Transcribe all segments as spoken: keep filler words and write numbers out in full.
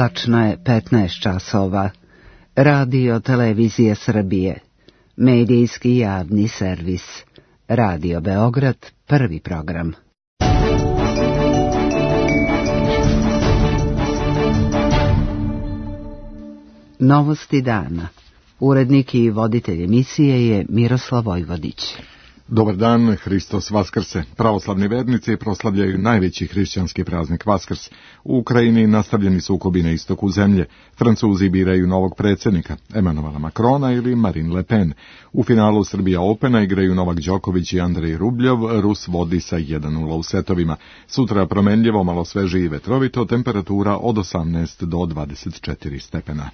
Tačno je petnaest časova. Radio Televizije Srbije. Medijski javni servis. Radio Beograd, prvi program. Novosti dana. Urednik i voditelj emisije je Miroslav Vojvodić. Dobar dan, Hristos Vaskrse. Pravoslavni vernici proslavljaju najveći hrišćanski praznik Vaskrs. U Ukrajini nastavljeni sukobi na istoku zemlje. Francuzi biraju novog predsjednika, Emanuela Macrona ili Marine Le Pen. U finalu Srbija Opena igraju Novak Đoković i Andrej Rubljov, Rus vodi sa jedan nula u setovima. Sutra promenljivo, malo sveže i vetrovito, temperatura od osamnaest do dvadeset četiri stepena.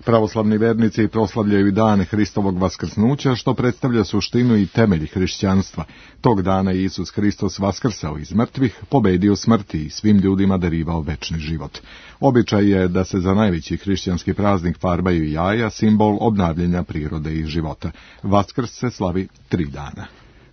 Pravoslavni vernici proslavljaju dan Hristovog vaskrsnuća, što predstavlja suštinu i temelj hrišćanstva. Tog dana Isus Hristos vaskrsao iz mrtvih, pobedio smrti i svim ljudima darivao večni život. Običaj je da se za najveći hrišćanski praznik farbaju jaja, simbol obnavljanja prirode i života. Vaskrs se slavi tri dana.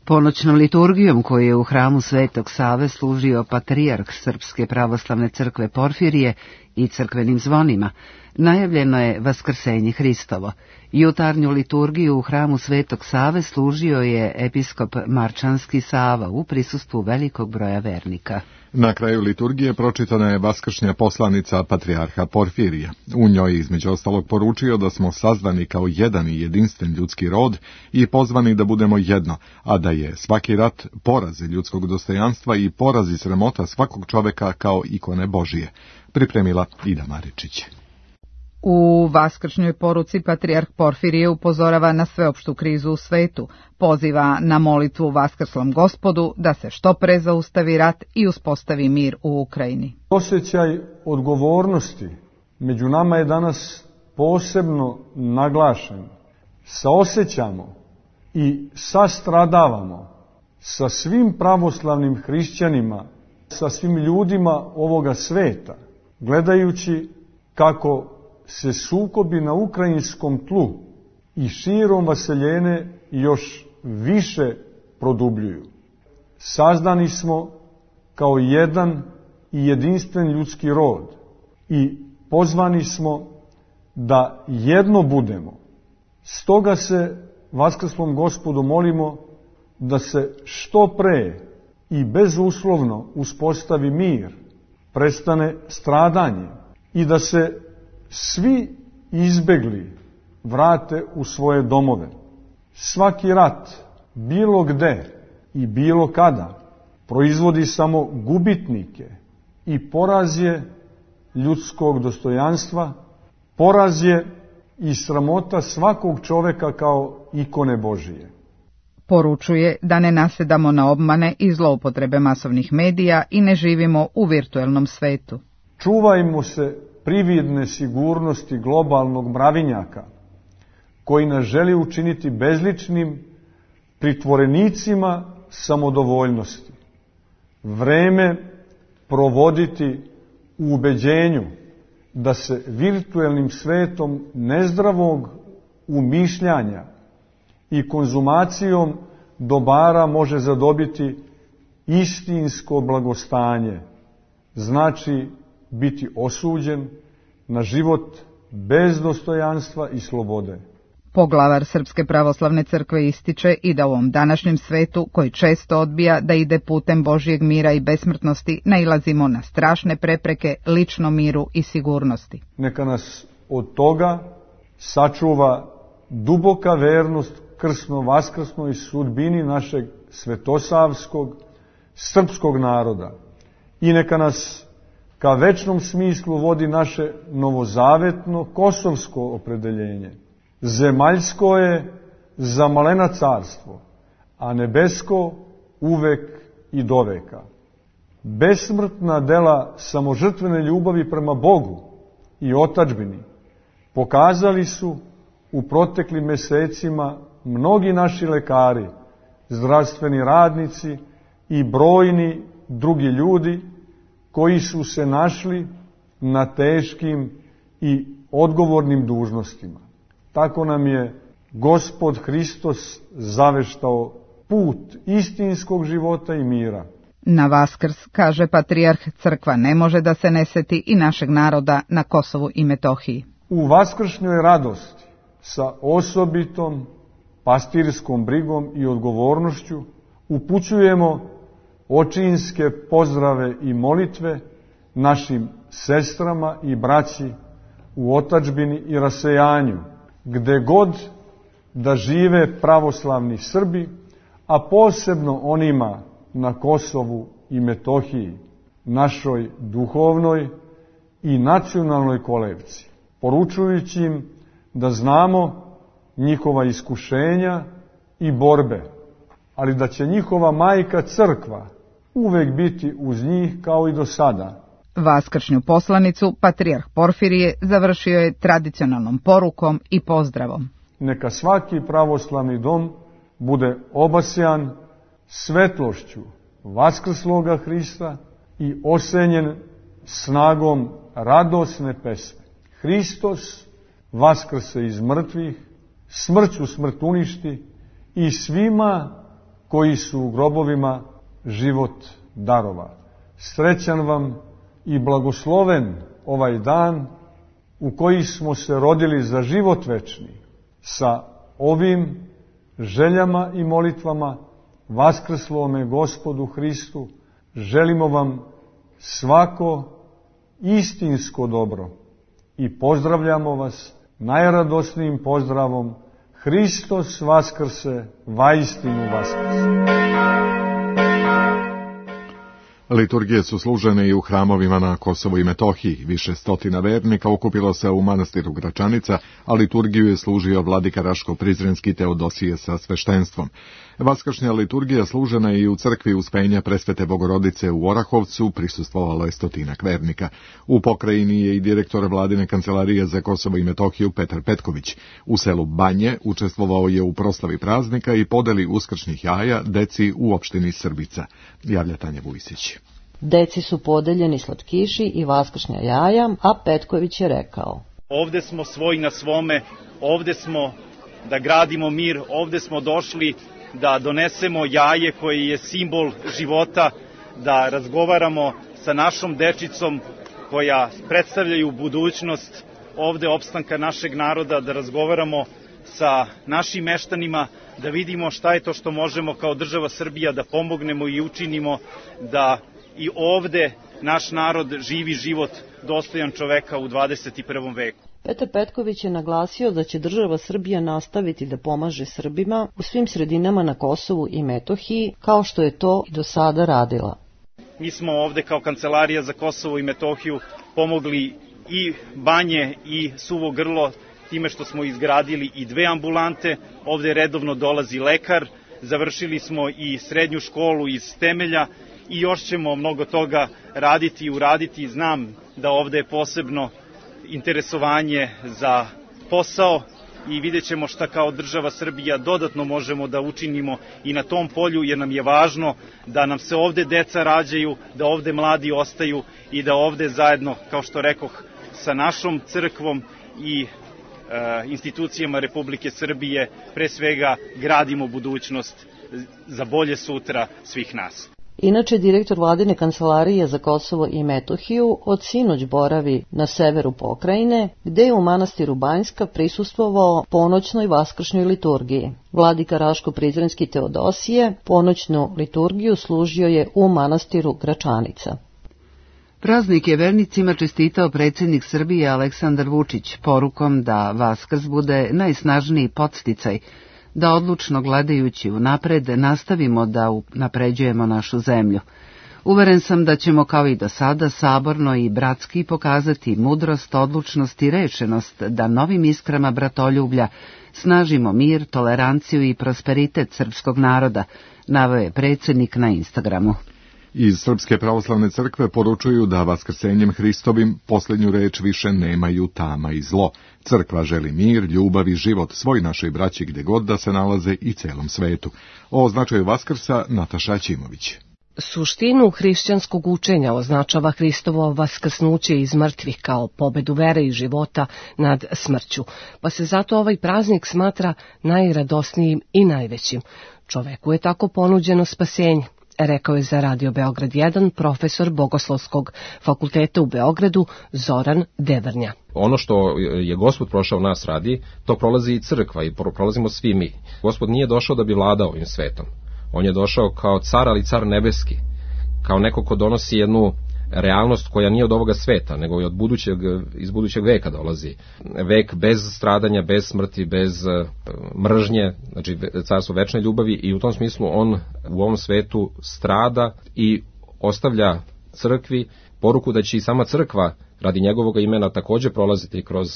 Ponoćnom liturgijom koju je u hramu Svetog Save služio patrijarh Srpske pravoslavne crkve Porfirije i crkvenim zvonima, najavljeno je Vaskrsenje Hristovo. Jutarnju liturgiju u hramu Svetog Save služio je episkop Marčanski Sava u prisustvu velikog broja vernika. Na kraju liturgije pročitana je vaskršnja poslanica patrijarha Porfirija. U njoj između ostalog poručio da smo sazdani kao jedan i jedinstven ljudski rod i pozvani da budemo jedno, a da je svaki rat poraz ljudskog dostojanstva i poraz i sramota svakog čoveka kao ikone Božije. Pripremila Ida Maričić. U vaskršnjoj poruci patrijarh Porfirije upozorava na sveopštu krizu u svetu, poziva na molitvu Vaskrslom Gospodu da se što pre zaustavi rat i uspostavi mir u Ukrajini. Osjećaj odgovornosti među nama je danas posebno naglašen. Saosjećamo i sastradavamo sa svim pravoslavnim hrišćanima, sa svim ljudima ovoga sveta, gledajući kako se sukobi na ukrajinskom tlu i širom vaseljene još više produbljuju. Sazdani smo kao jedan i jedinstven ljudski rod i pozvani smo da jedno budemo. Stoga se Vaskrslom Gospodu molimo da se što pre i bezuslovno uspostavi mir, prestane stradanje i da se svi izbegli vrate u svoje domove. Svaki rat, bilo gde i bilo kada, proizvodi samo gubitnike i poraz je ljudskog dostojanstva, poraz je i sramota svakog čoveka kao ikone Božije. Poručuje da ne nasedamo na obmane i zloupotrebe masovnih medija i ne živimo u virtuelnom svetu. Čuvajmo se prividne sigurnosti globalnog mravinjaka, koji nas želi učiniti bezličnim pritvorenicima samodovoljnosti. Vreme provoditi u ubeđenju da se virtuelnim svetom nezdravog umišljanja i konzumacijom dobara može zadobiti istinsko blagostanje, znači biti osuđen na život bez dostojanstva i slobode. Poglavar Srpske pravoslavne crkve ističe i da u ovom današnjem svetu, koji često odbija da ide putem Božijeg mira i besmrtnosti, nailazimo na strašne prepreke ličnom miru i sigurnosti. Neka nas od toga sačuva duboka vernost krsno-vaskrsnoj sudbini našeg svetosavskog, srpskog naroda i neka nas ka večnom smislu vodi naše novozavetno kosovsko opredeljenje. Zemaljsko je za malena carstvo, a nebesko uvek i doveka. Besmrtna dela samožrtvene ljubavi prema Bogu i otadžbini pokazali su u proteklim mesecima mnogi naši lekari, zdravstveni radnici i brojni drugi ljudi koji su se našli na teškim i odgovornim dužnostima. Tako nam je Gospod Hristos zaveštao put istinskog života i mira. Na Vaskrs, kaže patrijarh, crkva ne može da se ne seti i našeg naroda na Kosovu i Metohiji. U vaskršnjoj radosti sa osobitom pastirskom brigom i odgovornošću upućujemo očinske pozdrave i molitve našim sestrama i braći u otadžbini i rasejanju, gde god da žive pravoslavni Srbi, a posebno onima na Kosovu i Metohiji, našoj duhovnoj i nacionalnoj kolevci, poručujući im da znamo njihova iskušenja i borbe, ali da će njihova majka crkva uvek biti uz njih kao i do sada. Vaskršnju poslanicu patrijarh Porfirije završio je tradicionalnom porukom i pozdravom. Neka svaki pravoslavni dom bude obasjan svetlošću vaskrsloga Hrista i osenjen snagom radosne pesme. Hristos vaskrse iz mrtvih, smrću smrt uništi i svima koji su u grobovima život darova. Srećan vam i blagosloven ovaj dan u koji smo se rodili za život večni. Sa ovim željama i molitvama vaskrslome Gospodu Hristu želimo vam svako istinsko dobro i pozdravljamo vas najradosnijim pozdravom: Hristos vaskrse, vaistinu vaskrse. Liturgije su služene i u hramovima na Kosovu i Metohiji. Više stotina vernika okupilo se u manastiru Gračanica, a liturgiju je služio vladika Raško-Prizrenski Teodosije sa sveštenstvom. Vaskršnja liturgija služena je i u crkvi Uspenja Presvete Bogorodice u Orahovcu, prisustvovalo je stotinak vernika. U pokrajini je i direktor vladine kancelarije za Kosovo i Metohiju Petar Petković. U selu Banje učestvovao je u proslavi praznika i podeli uskršnjih jaja deci u opštini Srbica. Javlja Tanja Vujsić. Deci su podeljeni slatkiši i vaskršnja jaja, a Petković je rekao: ovde smo svoj na svome, ovde smo da gradimo mir, ovde smo došli da donesemo jaje koje je simbol života, da razgovaramo sa našom dečicom koja predstavljaju budućnost ovde opstanka našeg naroda, da razgovaramo sa našim meštanima, da vidimo šta je to što možemo kao država Srbija da pomognemo i učinimo da i ovde naš narod živi život dostojan čoveka u dvadeset prvom veku. Petar Petković je naglasio da će država Srbija nastaviti da pomaže Srbima u svim sredinama na Kosovu i Metohiji, kao što je to i do sada radila. Mi smo ovde kao Kancelarija za Kosovo i Metohiju pomogli i Banje i Suvo Grlo time što smo izgradili i dve ambulante. Ovde redovno dolazi lekar, završili smo i srednju školu iz temelja i još ćemo mnogo toga raditi i uraditi. Znam da ovde je posebno interesovanje za posao i vidjet ćemo šta kao država Srbija dodatno možemo da učinimo i na tom polju, jer nam je važno da nam se ovde deca rađaju, da ovde mladi ostaju i da ovde zajedno, kao što rekoh, sa našom crkvom i e, institucijama Republike Srbije pre svega gradimo budućnost za bolje sutra svih nas. Inače, direktor vladine kancelarije za Kosovo i Metohiju od sinoć boravi na severu pokrajine, gde je u manastiru Banjska prisustvovao ponoćnoj vaskršnjoj liturgiji. Vladika Raško-Prizrenski Teodosije ponoćnu liturgiju služio je u manastiru Gračanica. Praznik je vernicima čestitao predsjednik Srbije Aleksandar Vučić porukom da Vaskrs bude najsnažniji podsticaj da odlučno gledajući unapred nastavimo da napređujemo našu zemlju. Uveren sam da ćemo kao i do sada saborno i bratski pokazati mudrost, odlučnost i rešenost da novim iskrama bratoljublja snažimo mir, toleranciju i prosperitet srpskog naroda, naveo je predsjednik na Instagramu. Iz Srpske pravoslavne crkve poručuju da vaskrsenjem Hristovim posljednju reč više nemaju tama i zlo. Crkva želi mir, ljubav i život svoj našoj braći gde god da se nalaze i celom svetu. O značaju Vaskrsa Nataša Ćimović. Suštinu hrišćanskog učenja označava Hristovo vaskrsnuće iz mrtvih kao pobedu vere i života nad smrću, pa se zato ovaj praznik smatra najradosnijim i najvećim. Čoveku je tako ponuđeno spasenje. rekao je za Radio Beograd jedan profesor Bogoslovskog fakulteta u Beogradu Zoran Devrnja. Ono što je Gospod prošao nas radi, to prolazi i crkva i prolazimo svi mi. Gospod nije došao da bi vladao ovim svetom. On je došao kao car, ali car nebeski, kao neko ko donosi jednu realnost koja nije od ovoga sveta, nego i od budućeg, iz budućeg veka dolazi. Vek bez stradanja, bez smrti, bez mržnje, znači carstvo večne ljubavi, i u tom smislu on u ovom svetu strada i ostavlja crkvi poruku da će i sama crkva radi njegovog imena također prolaziti kroz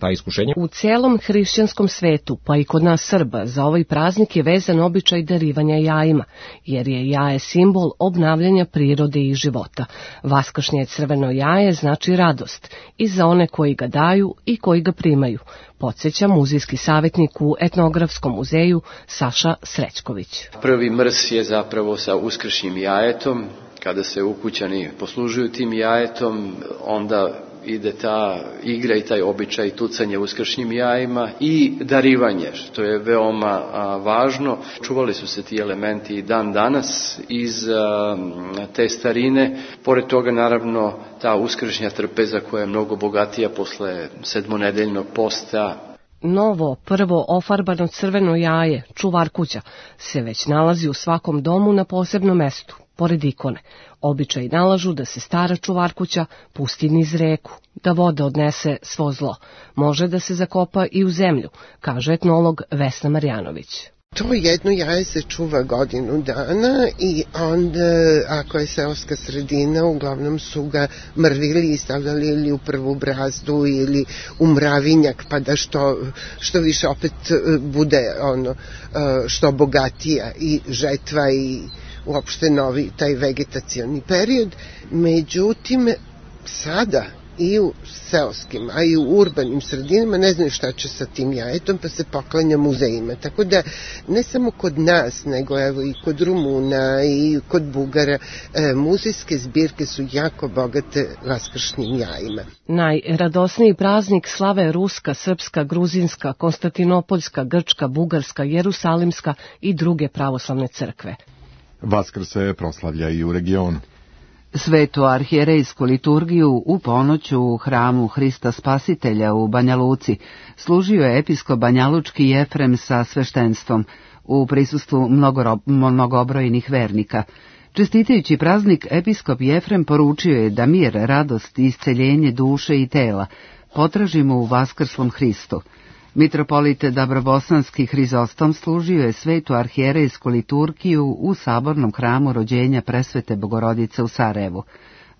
ta iskušenja. U cijelom hrišćanskom svetu, pa i kod nas Srba, za ovaj praznik je vezan običaj darivanja jajima, jer je jaje simbol obnavljanja prirode i života. Vaskršnje crveno jaje znači radost i za one koji ga daju i koji ga primaju, podsjeća muzejski savjetnik u Etnografskom muzeju Saša Srećković. Prvi mrs je zapravo sa uskršnjim jajetom. Kada se ukućani poslužuju tim jajetom, onda ide ta igra i taj običaj tucanje uskršnjim jajima i darivanje, što je veoma a, važno. Čuvali su se ti elementi dan danas iz a, te starine. Pored toga, naravno, ta uskršnja trpeza koja je mnogo bogatija posle sedmonedeljnog posta. Novo, prvo ofarbano crveno jaje, čuvarkuća, se već nalazi u svakom domu na posebnom mestu, pored ikone. Običaji nalažu da se stara čuvarkuća pusti niz reku, da voda odnese svo zlo. Može da se zakopa i u zemlju, kaže etnolog Vesna Marjanović. To jedno jaje se čuva godinu dana i onda, ako je seoska sredina, uglavnom su ga mrvili i stavljali ili u prvu brazdu ili u mravinjak, pa da što, što više opet bude ono, što bogatija i žetva i uopšte novi taj vegetacioni period. Međutim, sada i u seoskim, a i u urbanim sredinama ne znaju šta će sa tim jajetom, pa se poklanja muzejima. Tako da ne samo kod nas, nego evo i kod Rumuna i kod Bugara, e, muzejske zbirke su jako bogate vaskršnjim jajima. Najradosniji praznik slave ruska, srpska, gruzinska, konstantinopoljska, grčka, bugarska, jerusalimska i druge pravoslavne crkve. Vaskrs se proslavlja i u regionu. Svetu arhijerejsku liturgiju u ponoću u hramu Hrista Spasitelja u Banja Luci služio je episkop banjalučki Jefrem sa sveštenstvom u prisustvu mnogobrojnih vernika. Čestitajući praznik, episkop Jefrem poručio je da mir, radost i isceljenje duše i tela potražimo u vaskrslom Hristu. Mitropolit Dabrobosanski Hrizostom služio je svetu arhijerejsku liturgiju u sabornom hramu rođenja Presvete Bogorodice u Sarajevu.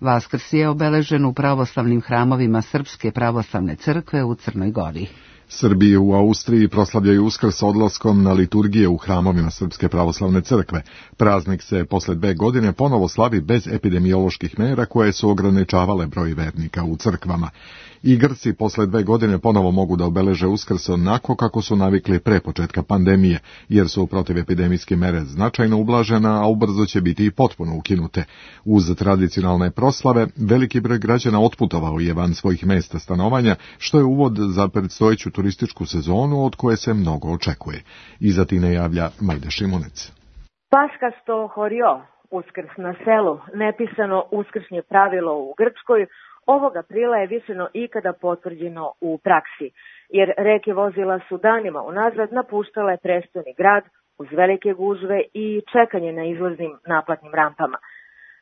Vaskrs je obeležen u pravoslavnim hramovima Srpske pravoslavne crkve u Crnoj Gori. Srbi u Austriji proslavljaju Uskrs odlaskom na liturgije u hramovima Srpske pravoslavne crkve. Praznik se posle dve godine ponovo slavi bez epidemioloških mera koje su ograničavale broj vernika u crkvama. I Grci posle dve godine ponovo mogu da obeleže Uskrs onako kako su navikli pre početka pandemije, jer su protiv epidemijske mere značajno ublažena, a ubrzo će biti i potpuno ukinute. Uz tradicionalne proslave, veliki broj građana otputovao je van svojih mesta stanovanja, što je uvod za predstojeću turističku sezonu od koje se mnogo očekuje. Iza tine javlja Majda Šimunec. Paska sto horio, Uskrs na selu, nepisano uskršnje pravilo u Grčkoj, ovog aprila je više no ikada potvrđeno u praksi, jer reke vozila su danima unazad napuštale prestojni grad uz velike gužve i čekanje na izlaznim naplatnim rampama.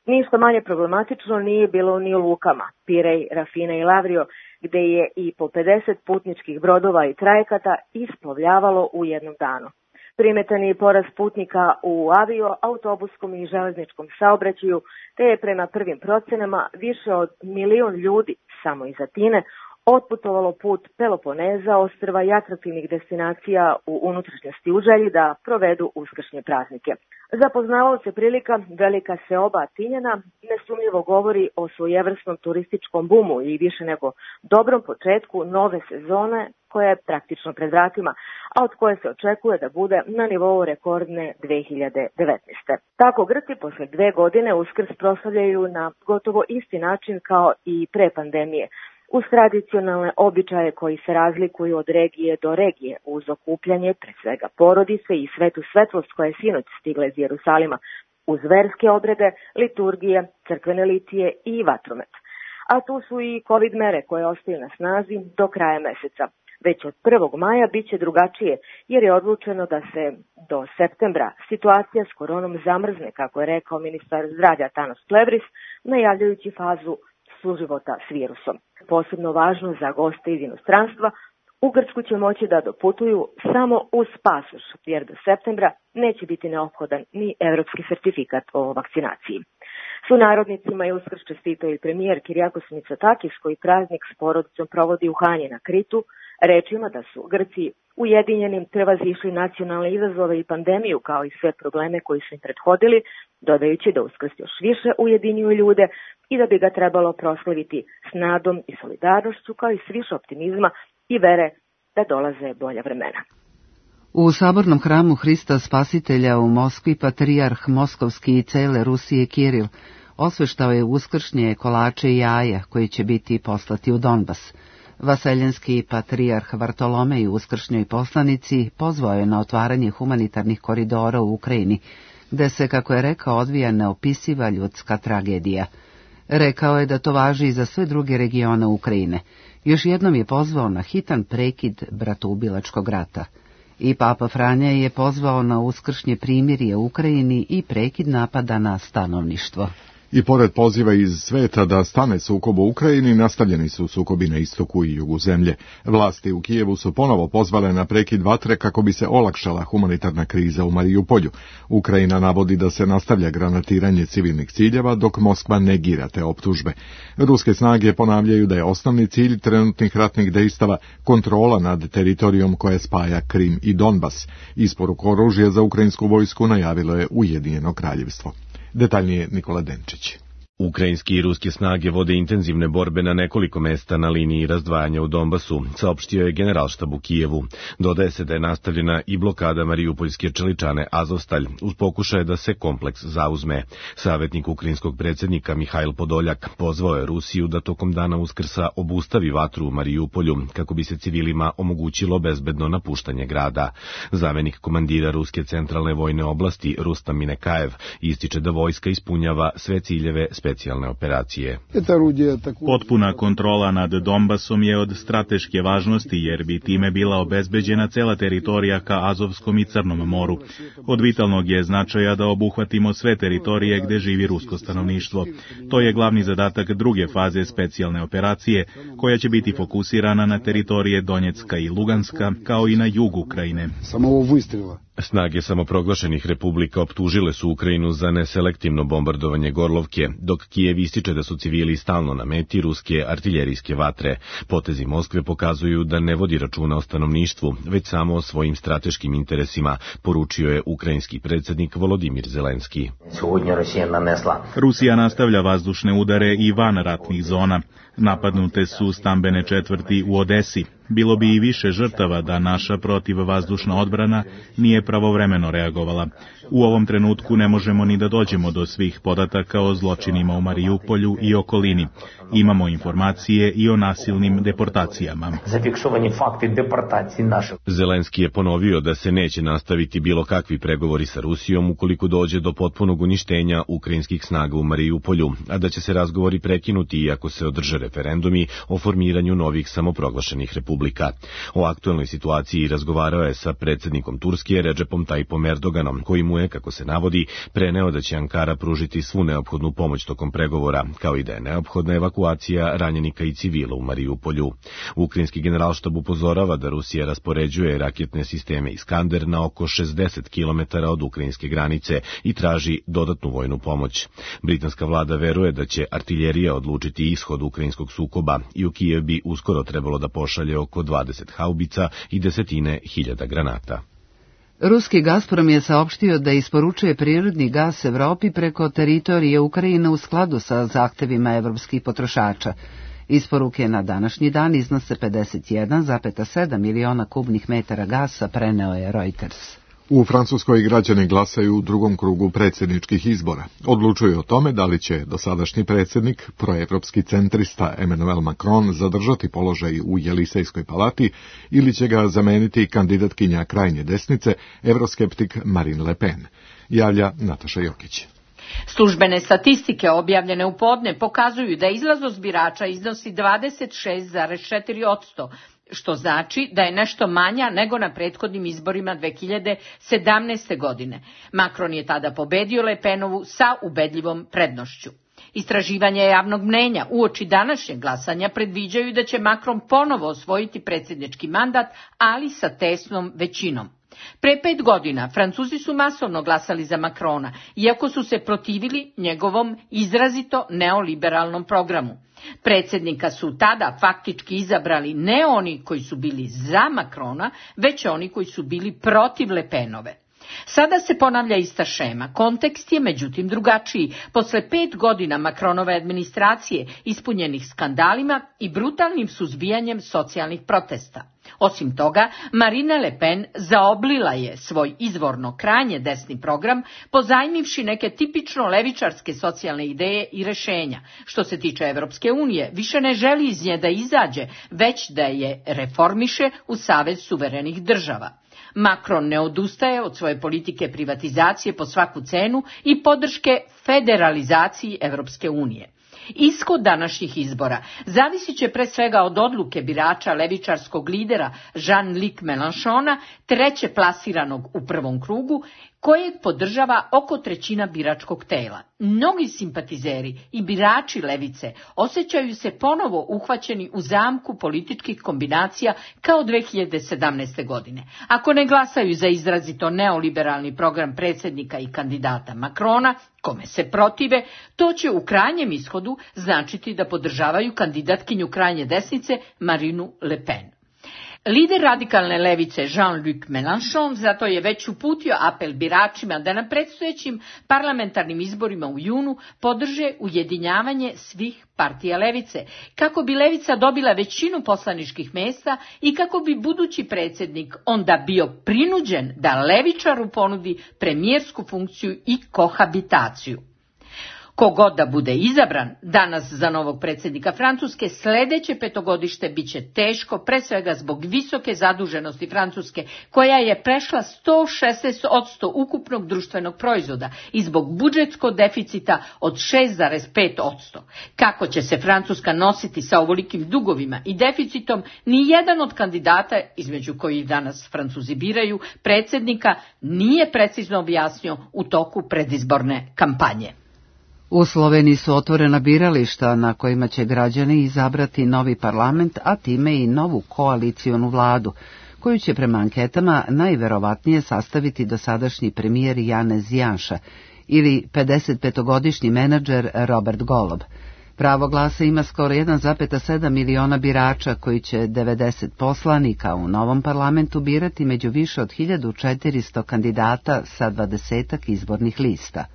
Ništa manje problematično nije bilo ni u lukama, Pirej, Rafina i Lavrio, gde je i po pedeset putničkih brodova i trajekata isplovljavalo u jednom danu. Primetan je porast putnika u avio, autobuskom i železničkom saobraćaju, te je prema prvim procenama više od milion ljudi samo iz Atine otputovalo put Peloponeza, ostrva i atraktivnih destinacija u unutrašnjosti u želji da provedu uskršnje praznike. Za poznavaoce prilika velika seoba Atinjana nesumnjivo govori o svojevrsnom turističkom bumu i više nego dobrom početku nove sezone koja je praktično pred vratima, a od koje se očekuje da bude na nivou rekordne dve hiljade devetnaeste. Tako Grci posle dve godine Uskrs proslavljaju na gotovo isti način kao i pre pandemije, uz tradicionalne običaje koji se razlikuju od regije do regije, uz okupljanje pre svega porodice i svetu svetlost koja je sinoć stigla iz Jerusalima, uz verske obrede, liturgije, crkvene litije i vatromet. A tu su i COVID mere koje ostaju na snazi do kraja meseca. Već od prvog maja bit će drugačije, jer je odlučeno da se do septembra situacija s koronom zamrzne, kako je rekao ministar zdravlja Tanos Plevris, najavljajući fazu suživota s virusom. Posebno važno za goste iz inostranstva, u Grčku će moći da doputuju samo uz pasoš, jer do septembra neće biti neophodan ni evropski sertifikat o vakcinaciji. Sunarodnicima je Uskrs čestitao i premijer Kirijakos Mitsotakis, koji praznik s porodicom provodi u Hanji na Kritu, rečima da su Grci ujedinjenim prevazišli nacionalne izazove i pandemiju kao i sve probleme koji su im prethodili, dodajući da Uskrs još više ujedinjuju ljude i da bi ga trebalo proslaviti s nadom i solidarnošću, kao i s više optimizma i vere da dolaze bolja vremena. U sabornom hramu Hrista Spasitelja u Moskvi patrijarh Moskovski i cele Rusije Kiril osveštao je uskršnje kolače i jaja koji će biti poslati u Donbas. Vaseljenski patrijarh Vartolomej u uskršnjoj poslanici pozvao je na otvaranje humanitarnih koridora u Ukrajini, gde se, kako je rekao, odvija neopisiva ljudska tragedija. Rekao je da to važi i za sve druge regione Ukrajine. Još jednom je pozvao na hitan prekid bratoubilačkog rata. I Papa Franja je pozvao na uskršnje primirje u Ukrajini i prekid napada na stanovništvo. I pored poziva iz sveta da stane sukob u Ukrajini, nastavljeni su sukobi na istoku i jugu zemlje. Vlasti u Kijevu su ponovo pozvale na prekid vatre kako bi se olakšala humanitarna kriza u Marijupolju. Ukrajina navodi da se nastavlja granatiranje civilnih ciljeva, dok Moskva negira te optužbe. Ruske snage ponavljaju da je osnovni cilj trenutnih ratnih dejstava kontrola nad teritorijom koja spaja Krim i Donbas. Isporuku oružja za ukrajinsku vojsku najavilo je Ujedinjeno kraljevstvo. Detaljnije Nikola Denčić. Ukrajinski i ruske snage vode intenzivne borbe na nekoliko mesta na liniji razdvajanja u Donbasu, saopštio je generalštab u Kijevu. Dodaje se da je nastavljena i blokada mariupoljske čeličane Azovstalj uz pokušaje da se kompleks zauzme. Savjetnik ukrajinskog predsjednika Mihajl Podoljak pozvao je Rusiju da tokom dana Uskrsa obustavi vatru u Marijupolju kako bi se civilima omogućilo bezbedno napuštanje grada. Zamenik komandira Ruske centralne vojne oblasti Rustam Minekajev ističe da vojska ispunjava sve ciljeve specijalne operacije. Potpuna kontrola nad Donbasom je od strateške važnosti jer bi time bila obezbeđena cela teritorija ka Azovskom i Crnom moru. Od vitalnog je značaja da obuhvatimo sve teritorije gde živi rusko stanovništvo. To je glavni zadatak druge faze specijalne operacije, koja će biti fokusirana na teritorije Donjecka i Luganska, kao i na jug Ukrajine. Snage samoproglašenih republika optužile su Ukrajinu za neselektivno bombardovanje Gorlovke, dok Kijev ističe da su civili stalno na meti ruske artiljerijske vatre. Potezi Moskve pokazuju da ne vodi računa o stanovništvu, već samo o svojim strateškim interesima, poručio je ukrajinski predsjednik Volodimir Zelenski. Rusija nastavlja vazdušne udare i van ratnih zona. Napadnute su stambene četvrti u Odesi. Bilo bi i više žrtava da naša protivvazdušna odbrana nije pravovremeno reagovala. U ovom trenutku ne možemo ni da dođemo do svih podataka o zločinima u Marijupolju i okolini. Imamo informacije i o nasilnim deportacijama. Zelenski je ponovio da se neće nastaviti bilo kakvi pregovori sa Rusijom ukoliko dođe do potpunog uništenja ukrajinskih snaga u Marijupolju, a da će se razgovori prekinuti iako se održe referendumi o formiranju novih samoproglašenih republika. O aktuelnoj situaciji razgovarao je sa predsjednikom Turske Redžepom Tajipom Erdoganom, koji mu je, kako se navodi, preneo da će Ankara pružiti svu neophodnu pomoć tokom pregovora, kao i da je neophodna evakuacija ranjenika i civila u Marijupolju. Ukrajinski generalštab upozorava da Rusija raspoređuje raketne sisteme Iskander na oko šezdeset kilometara od ukrajinske granice i traži dodatnu vojnu pomoć. Britanska vlada veruje da će artiljerija odlučiti ishod ukrajinskog sukoba i u Kijev bi uskoro trebalo da pošalje oko dvadeset haubica i desetine hiljada granata. Ruski Gazprom je saopštio da isporučuje prirodni gas Evropi preko teritorije Ukrajine u skladu sa zahtevima evropskih potrošača. Isporuke na današnji dan iznose pedeset jedan zarez sedam miliona kubnih metara gasa, preneo je Reuters. U Francuskoj građani glasaju u drugom krugu predsjedničkih izbora. Odlučuju o tome da li će dosadašnji predsjednik, proevropski centrista Emmanuel Macron, zadržati položaj u Jelisejskoj palati ili će ga zameniti kandidatkinja krajnje desnice, evroskeptik Marine Le Pen, javlja Nataša Jokić. Službene statistike objavljene u podne pokazuju da izlaznost birača iznosi dvadeset šest zarez četiri posto, što znači da je nešto manja nego na prethodnim izborima dve hiljade sedamnaeste. godine. Macron je tada pobedio Le Penovu sa ubedljivom prednošću. Istraživanja javnog mnenja uoči današnjeg glasanja predviđaju da će Macron ponovo osvojiti predsjednički mandat, ali sa tesnom većinom. Pre pet godina Francuzi su masovno glasali za Macrona, iako su se protivili njegovom izrazito neoliberalnom programu. Predsjednika su tada faktički izabrali ne oni koji su bili za Macrona, već oni koji su bili protiv Le Penove. Sada se ponavlja ista šema, kontekst je međutim drugačiji. Posle pet godina Macronove administracije ispunjenih skandalima i brutalnim suzbijanjem socijalnih protesta. Osim toga, Marine Le Pen zaoblila je svoj izvorno krajnje desni program, pozajmivši neke tipično levičarske socijalne ideje i rešenja. Što se tiče Evropske unije, više ne želi iz nje da izađe, već da je reformiše u Savez suverenih država. Macron ne odustaje od svoje politike privatizacije po svaku cenu i podrške federalizaciji Evropske unije. Ishod današnjih izbora zavisit će pre svega od odluke birača levičarskog lidera Jean-Luc Mélenchona, treće plasiranog u prvom krugu, kojeg podržava oko trećina biračkog tela. Mnogi simpatizeri i birači levice osjećaju se ponovo uhvaćeni u zamku političkih kombinacija kao dve hiljade sedamnaeste. godine. Ako ne glasaju za izrazito neoliberalni program predsjednika i kandidata Macrona, kome se protive, to će u krajnjem ishodu značiti da podržavaju kandidatkinju krajnje desnice Marinu Le Pen. Lider radikalne levice Jean-Luc Mélenchon zato je već uputio apel biračima da na predstojećim parlamentarnim izborima u junu podrže ujedinjavanje svih partija levice, kako bi levica dobila većinu poslaničkih mjesta i kako bi budući predsjednik onda bio prinuđen da levičaru ponudi premijersku funkciju i kohabitaciju. Kogod da bude izabran danas za novog predsjednika Francuske, sljedeće petogodište bit će teško, pre svega zbog visoke zaduženosti Francuske, koja je prešla sto šesnaest posto ukupnog društvenog proizvoda i zbog budžetskog deficita od šest zarez pet posto. Kako će se Francuska nositi sa ovolikim dugovima i deficitom, ni jedan od kandidata, između kojih danas Francuzi biraju predsjednika, nije precizno objasnio u toku predizborne kampanje. U Sloveniji su otvorena birališta na kojima će građani izabrati novi parlament, a time i novu koalicionu vladu, koju će prema anketama najverovatnije sastaviti dosadašnji premijer Janez Janša ili pedesetpetogodišnji menadžer Robert Golob. Pravo glasa ima skoro jedan zarez sedam miliona birača koji će devedeset poslanika u novom parlamentu birati među više od hiljadu četiristo kandidata sa dvadesetak izbornih lista.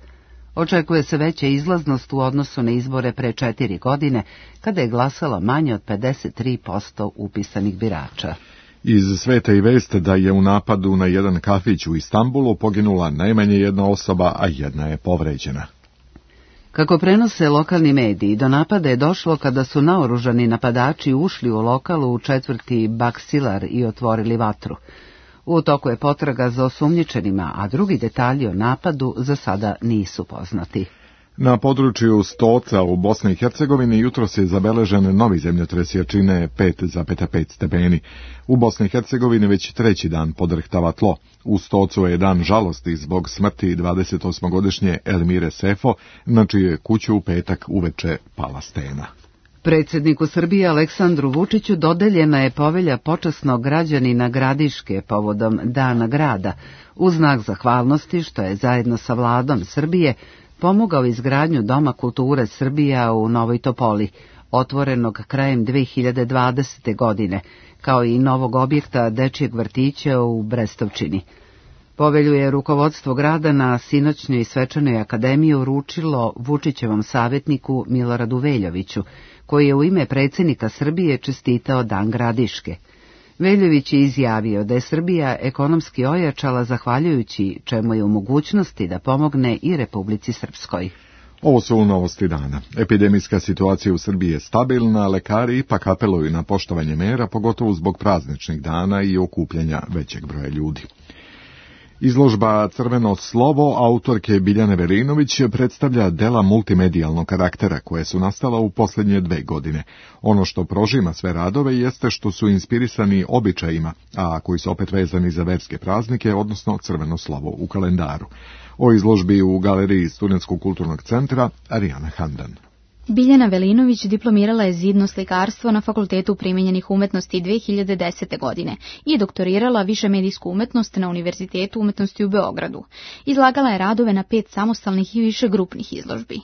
Očekuje se veća izlaznost u odnosu na izbore pre četiri godine, kada je glasalo manje od pedeset tri posto upisanih birača. Iz sveta i veste da je u napadu na jedan kafić u Istanbulu poginula najmanje jedna osoba, a jedna je povređena. Kako prenose lokalni mediji, do napada je došlo kada su naoružani napadači ušli u lokal u četvrti Baksilar i otvorili vatru. U toku je potraga za osumnjičenima, a drugi detalji o napadu za sada nisu poznati. Na području Stoca u Bosni i Hercegovini jutros je zabeležen novi zemljotres jačine pet zarez pet stepeni. U Bosni i Hercegovini već treći dan podrhtava tlo. U Stocu je dan žalosti zbog smrti dvadesetosmogodišnje Elmire Sefo, na čiju je kuću u petak uveče pala stena. Predsjedniku Srbije Aleksandru Vučiću dodeljena je povelja počasnog građanina Gradiške povodom Dana grada, u znak zahvalnosti što je zajedno sa vladom Srbije pomogao izgradnju Doma kulture Srbija u Novoj Topoli, otvorenog krajem dve hiljade dvadesete. godine, kao i novog objekta dečijeg vrtića u Brestovčini. Povelju je rukovodstvo grada na sinoćnjoj svečanoj akademiji uručilo Vučićevom savjetniku Miloradu Veljoviću, koji je u ime predsjednika Srbije čestitao Dan Gradiške. Veljović je izjavio da je Srbija ekonomski ojačala zahvaljujući čemu je u mogućnosti da pomogne i Republici Srpskoj. Ovo su novosti dana. Epidemijska situacija u Srbiji je stabilna, lekari ipak apeluju na poštovanje mera, pogotovo zbog prazničnih dana i okupljanja većeg broja ljudi. Izložba Crveno slovo autorke Biljane Velinović predstavlja dela multimedijalnog karaktera koje su nastala u posljednje dve godine. Ono što prožima sve radove jeste što su inspirisani običajima, a koji su opet vezani za verske praznike, odnosno crveno slovo u kalendaru. O izložbi u galeriji Studentskog kulturnog centra Arijana Handan. Biljana Velinović diplomirala je zidno slikarstvo na Fakultetu primijenjenih umetnosti dve hiljade desete. godine i doktorirala višemedijsku umetnost na Univerzitetu umetnosti u Beogradu. Izlagala je radove na pet samostalnih i više grupnih izložbi.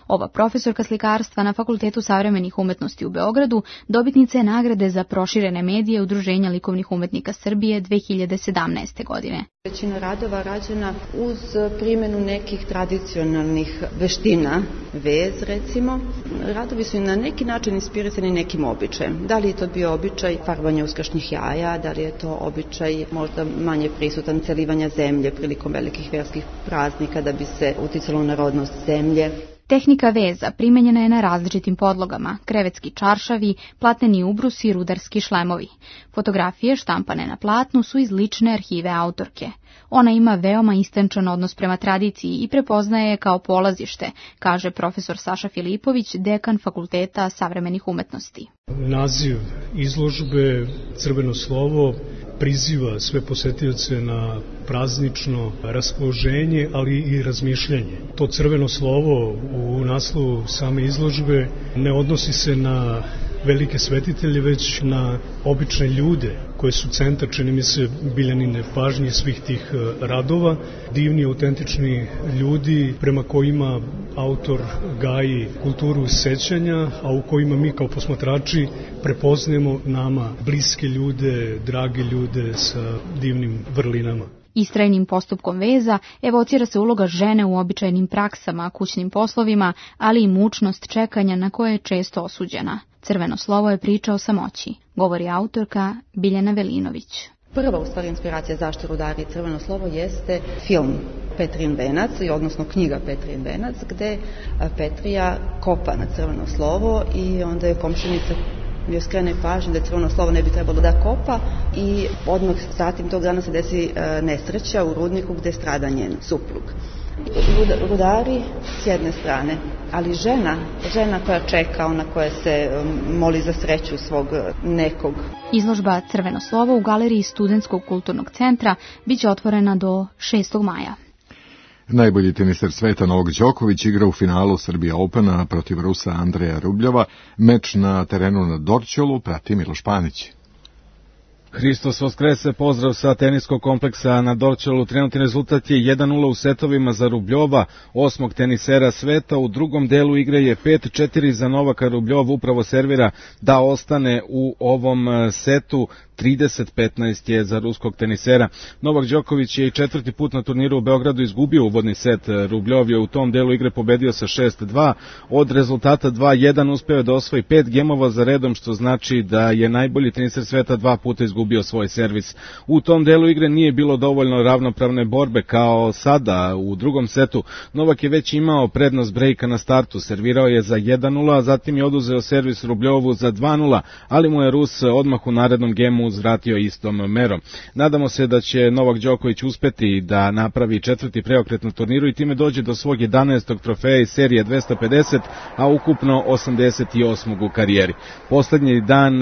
Ova profesorka slikarstva na Fakultetu savremenih umetnosti u Beogradu dobitnica je nagrade za proširene medije Udruženja likovnih umetnika Srbije dve hiljade sedamnaeste. godine. Većina radova rađena uz primjenu nekih tradicionalnih veština, vez recimo. Radovi su na neki način inspirisani nekim običajem. Da li je to bio običaj farbanja uskršnjih jaja, da li je to običaj možda manje prisutan celivanja zemlje prilikom velikih verskih praznika da bi se uticalo na rodnost zemlje. Tehnika veza primenjena je na različitim podlogama, krevetski čaršavi, platneni ubrusi i rudarski šlemovi. Fotografije štampane na platnu su iz lične arhive autorke. Ona ima veoma istančan odnos prema tradiciji i prepoznaje je kao polazište, kaže profesor Saša Filipović, dekan Fakulteta savremenih umetnosti. Naziv izložbe Crveno slovo priziva sve posetioce na praznično raspoloženje, ali i razmišljanje. To crveno slovo u naslovu same izložbe ne odnosi se na velike svetitelje, već na obične ljude koje su centar, čini mi se, Biljanine pažnje svih tih radova. Divni, autentični ljudi prema kojima autor gaji kulturu sećanja, a u kojima mi kao posmatrači prepoznajemo nama bliske ljude, drage ljude sa divnim vrlinama. Istrajnim postupkom veza evocira se uloga žene u običajnim praksama, kućnim poslovima, ali i mučnost čekanja na koje je često osuđena. Crveno slovo je priča o samoći, govori autorka Biljana Velinović. Prva u stvari inspiracija zašto rudari i crveno slovo jeste film Petrin venac, odnosno knjiga Petrin venac, gde Petrija kopa na crveno slovo i onda je komšinica joj skrene pažnju da crveno slovo ne bi trebalo da kopa i odmah zatim tog dana se desi nesreća u rudniku gde strada njen suprug. Rudari s jedne strane, ali žena, žena koja čeka, ona koja se moli za sreću svog nekog. Izložba Crveno slovo u galeriji Studentskog kulturnog centra biće otvorena do šestog maja. Najbolji teniser sveta Novak Đoković igra u finalu Serbia Opena protiv Rusa Andreja Rubljova. Meč na terenu na Dorćolu prati Miloš Panić. Hristos Voskrese, pozdrav sa teniskog kompleksa na Dorćolu. Trenutni rezultat je jedan nula u setovima za Rubljova, osmog tenisera sveta. U drugom delu igre je pet četiri za Novaka. Rubljov upravo servira da ostane u ovom setu. trideset petnaest je za ruskog tenisera. Novak Đoković je i četvrti put na turniru u Beogradu izgubio uvodni set. Rubljov je u tom delu igre pobedio sa šest dva. Od rezultata dva jedan uspeo je da osvoji pet gemova za redom, što znači da je najbolji teniser sveta dva puta izgubio svoj servis. U tom delu igre nije bilo dovoljno ravnopravne borbe kao sada u drugom setu. Novak je već imao prednost brejka na startu, servirao je za jedan nula, a zatim je oduzeo servis Rubljovu za dva nula, ali mu je Rus odmah u narednom gemu uzvratio istom merom. Nadamo se da će Novak Đoković uspeti da napravi četvrti preokret na turniru i time dođe do svog jedanaestog trofeja iz serije dvesta pedeset, a ukupno osamdeset osmog u karijeri. Poslednji dan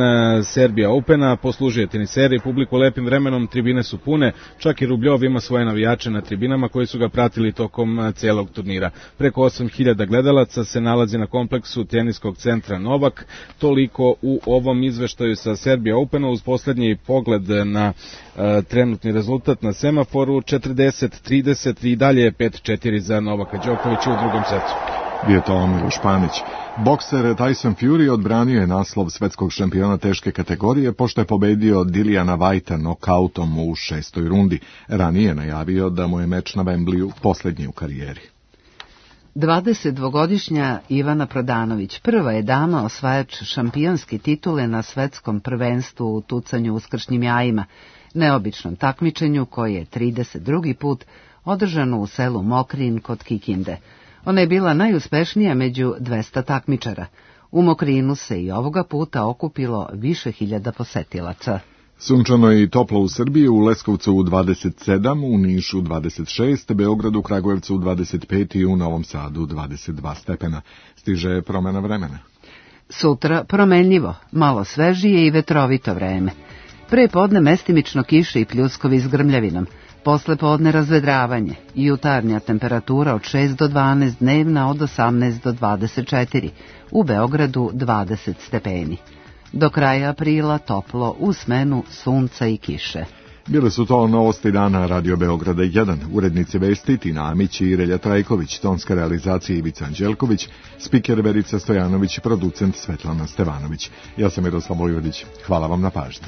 Serbia Opena poslužuje teniseri publiku lepim vremenom, tribine su pune, čak i Rubljov ima svoje navijače na tribinama koji su ga pratili tokom celog turnira. Preko osam hiljada gledalaca se nalazi na kompleksu teniskog centra Novak. Toliko u ovom izveštaju sa Serbia Opena uz poslednji pogled na uh, trenutni rezultat na semaforu. Četrdeset trideset i dalje je pet četiri za Novaka Đokovića u drugom setu. Bio to Miloš Panić. Bokser Tyson Fury odbranio je naslov svetskog šampiona teške kategorije pošto je pobedio Dilliana Whitea nokautom u šestoj rundi. Ranije je najavio da mu je meč na Wembleyu posljednji u karijeri. dvadesetdvogodišnja Ivana Prodanović prva je dama osvajač šampionske titule na svetskom prvenstvu u tucanju uskršnjim jajima, neobičnom takmičenju koje je trideset drugi put održano u selu Mokrin kod Kikinde. Ona je bila najuspešnija među dvesta takmičara. U Mokrinu se i ovoga puta okupilo više hiljada posetilaca. Sunčano i toplo u Srbiji, u Leskovcu dvadeset sedam, u Nišu dvadeset šest, Beogradu, Kragujevcu dvadeset pet i u Novom Sadu dvadeset dva stepena. Stiže promena vremena. Sutra promenljivo, malo svežije i vetrovito vreme. Pre podne mestimično kiše i pljuskovi s grmljavinom. Posle podne razvedravanje, jutarnja temperatura od šest do dvanaest, dnevna od osamnaest do dvadeset četiri, u Beogradu dvadeset stepeni. Do kraja aprila toplo u smenu sunca i kiše. Bile su to novosti dana Radio Beograda jedan, urednici vesti Tina Amić i Relja Trajković, tonska realizacija Ivica Anđelković, spiker Verica Stojanović, producent Svetlana Stevanović. Ja sam Miroslav Vojvodić. Hvala vam na pažnji.